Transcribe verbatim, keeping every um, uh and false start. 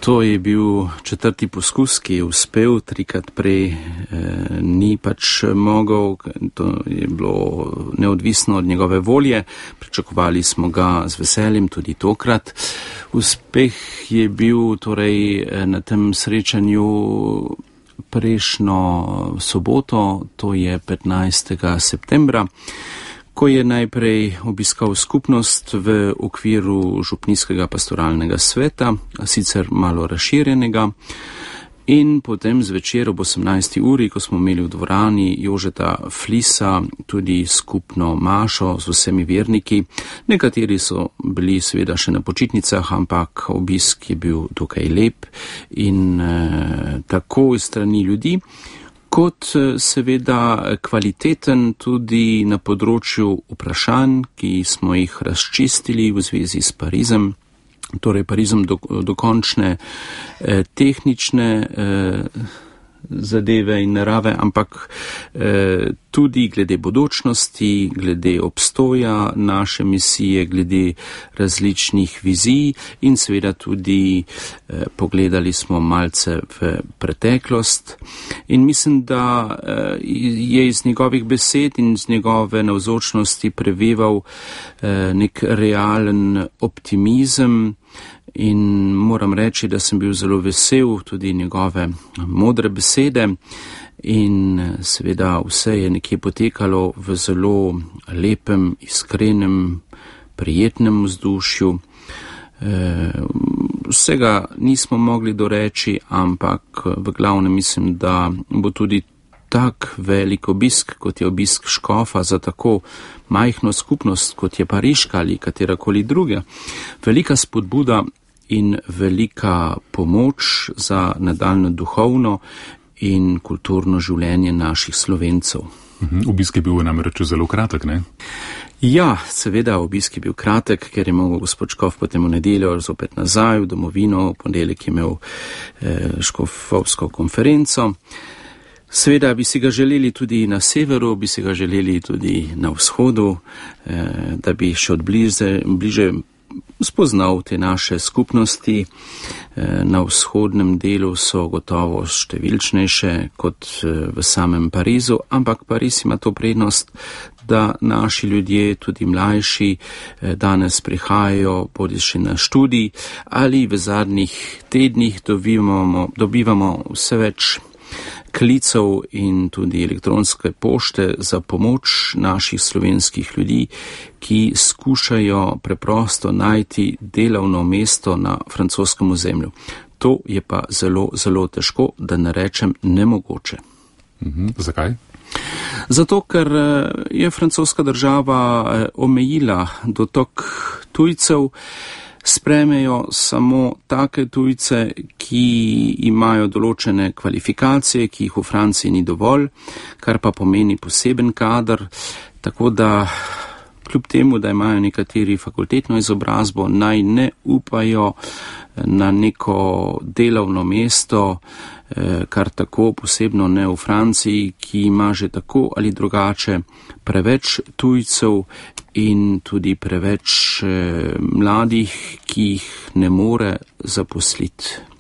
To je bil četrti poskus, ki je uspel, trikrat prej eh, ni pač mogel, to je bilo neodvisno od njegove volje, pričakovali smo ga z veseljem tudi tokrat. Uspeh je bil torej na tem srečanju prejšnjo soboto, to je petnajstega septembra, ko je najprej obiskal skupnost v okviru župnijskega pastoralnega sveta, sicer malo razširjenega, in potem zvečer ob osemnajsti uri, ko smo imeli v dvorani Jožeta Flisa tudi skupno mašo z vsemi verniki. Nekateri so bili seveda še na počitnicah, ampak obisk je bil dokaj lep in eh, tako iz strani ljudi, kot seveda kvaliteten tudi na področju vprašanj, ki smo jih razčistili v zvezi s Parizem, torej Parizem do, dokončne eh, tehnične eh, zadeve in narave, ampak eh, tudi glede bodočnosti, glede obstoja naše misije, glede različnih vizij in seveda tudi eh, pogledali smo malce v preteklost in mislim, da eh, je iz njegovih besed in iz njegove navzočnosti preveval eh, nek realen optimizem. In moram reči, da sem bil zelo vesel tudi njegove modre besede in seveda vse je nekje potekalo v zelo lepem, iskrenem, prijetnem vzdušju. Vsega nismo mogli doreči, ampak v glavnem mislim, da bo tudi tak velik obisk, kot je obisk škofa za tako majhno skupnost, kot je pariška ali katerakoli druga, velika spodbuda in velika pomoč za nadaljno duhovno in kulturno življenje naših Slovencev. Obisk je bil namreč zelo kratek, ne? Ja, seveda, obisk je bil kratek, ker je mogel gospod Škof potem v nedeljo zopet nazaj v domovino, v ponedeljek je imel eh, škofovsko konferenco. Seveda bi si ga želeli tudi na severu, bi si ga želeli tudi na vzhodu, eh, da bi še od bliže, bliže spoznal te naše skupnosti. Na vzhodnem delu so gotovo številčnejše kot v samem Parizu, ampak Pariz ima to prednost, da naši ljudje, tudi mlajši, danes prihajajo bodisi na študij ali v zadnjih tednih dobivamo, dobivamo vse več klicev in tudi elektronske pošte za pomoč naših slovenskih ljudi, ki skušajo preprosto najti delovno mesto na francoskem ozemlju. To je pa zelo, zelo težko, da ne rečem nemogoče. Mhm, zakaj? Zato, ker je francoska država omejila dotok tujcev, sprejmejo samo take tujce, ki imajo določene kvalifikacije, ki jih v Franciji ni dovolj, kar pa pomeni poseben kader, tako da kljub temu, da imajo nekateri fakultetno izobrazbo, naj ne upajo na neko delovno mesto, kar tako posebno ne v Franciji, ki ima že tako ali drugače preveč tujcev in tudi preveč eh, mladih, ki jih ne more zaposliti.